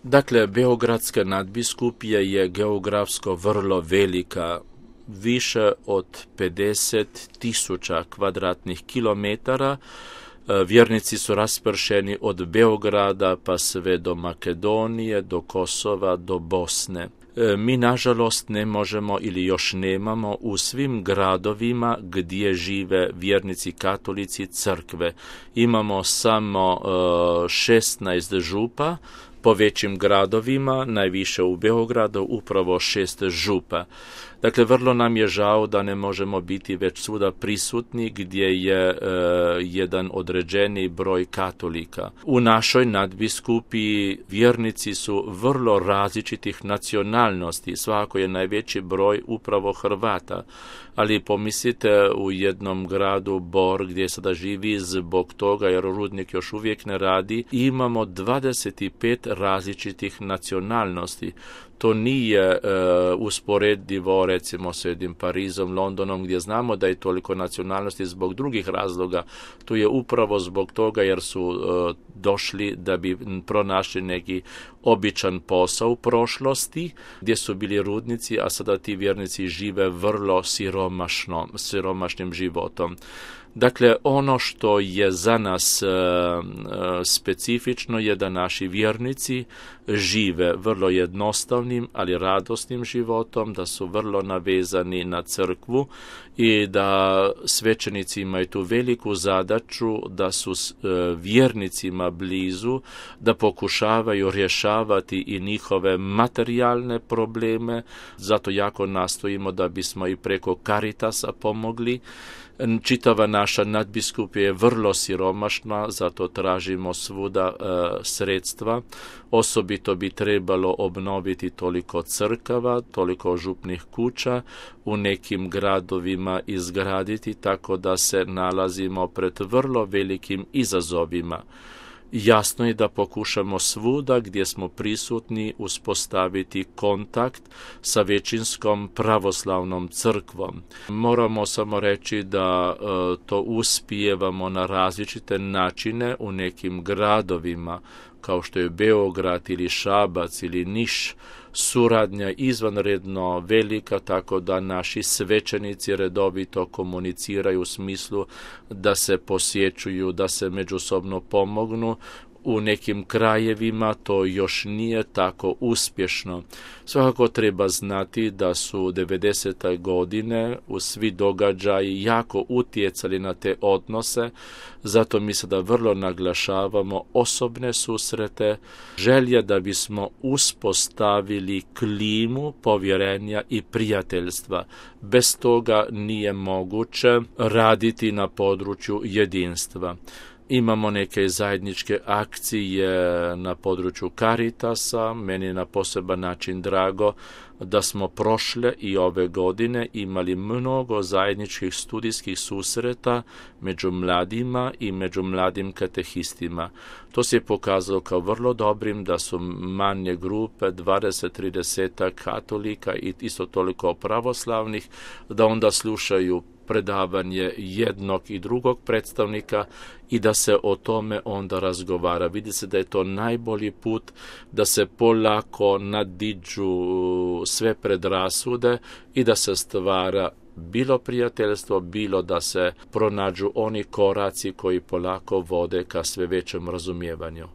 Dakle, Beogradska nadbiskupija je geografsko vrlo velika, više od 50.000 kvadratnih kilometara. Vjernici su raspršeni od Beograda pa sve do Makedonije, do Kosova, do Bosne. Mi, nažalost, ne možemo ili još nemamo u svim gradovima gdje žive vjernici katolici crkve. Imamo samo 16 župa, po većim gradovima, najviše u Beogradu, upravo 6 župa. Dakle, vrlo nam je žao da ne možemo biti već svuda prisutni gdje je jedan određeni broj katolika. U našoj nadbiskupiji vjernici su vrlo različitih nacionalnosti, svakako je najveći broj upravo Hrvata, ali pomislite u jednom gradu Bor gdje sada živi zbog toga jer rudnik još uvijek ne radi, imamo 25 različitih nacionalnosti. To nije usporedivo recimo s jednim Parizom, Londonom gdje znamo da je toliko nacionalnosti zbog drugih razloga. Tu je upravo zbog toga jer su došli da bi pronašli neki običan posao u prošlosti gdje su bili rudnici, a sada ti vjernici žive vrlo siromašnim životom. Dakle, ono što je za nas specifično je da naši vjernici žive vrlo jednostavnim, ali radosnim životom, da su vrlo navezani na crkvu i da svećenici imaju tu veliku zadaću da su vjernicima blizu, da pokušavaju rješavati i njihove materijalne probleme. Zato jako nastojimo da bismo i preko Caritasa pomogli. Čitava naša nadbiskupija je vrlo siromašna, zato tražimo svuda sredstva. Osobito bi trebalo obnoviti toliko crkava, toliko župnih kuća, u nekim gradovima izgraditi, tako da se nalazimo pred vrlo velikim izazovima. Jasno je da pokušamo svuda gdje smo prisutni uspostaviti kontakt sa većinskom pravoslavnom crkvom. Moramo samo reći da to uspijevamo na različite načine u nekim gradovima, kao što je Beograd ili Šabac ili Niš. Suradnja izvanredno velika, tako da naši svećenici redovito komuniciraju u smislu da se posjećuju, da se međusobno pomognu. U nekim krajevima to još nije tako uspješno. Svakako treba znati da su 90. godine u svi događaji jako utjecali na te odnose, zato mi sada vrlo naglašavamo osobne susrete, želje da bismo uspostavili klimu povjerenja i prijateljstva. Bez toga nije moguće raditi na području jedinstva. Imamo neke zajedničke akcije na području Caritasa. Meni je na poseban način drago da smo prošle i ove godine imali mnogo zajedničkih studijskih susreta među mladima i među mladim katehistima. To se je pokazalo kao vrlo dobrim, da su manje grupe, 20-30 katolika i isto toliko pravoslavnih, da onda slušaju predavanje jednog i drugog predstavnika i da se o tome onda razgovara. Vidi se da je to najbolji put da se polako nadiđu sve predrasude i da se stvara bilo prijateljstvo, bilo da se pronađu oni koraci koji polako vode ka sve većem razumijevanju.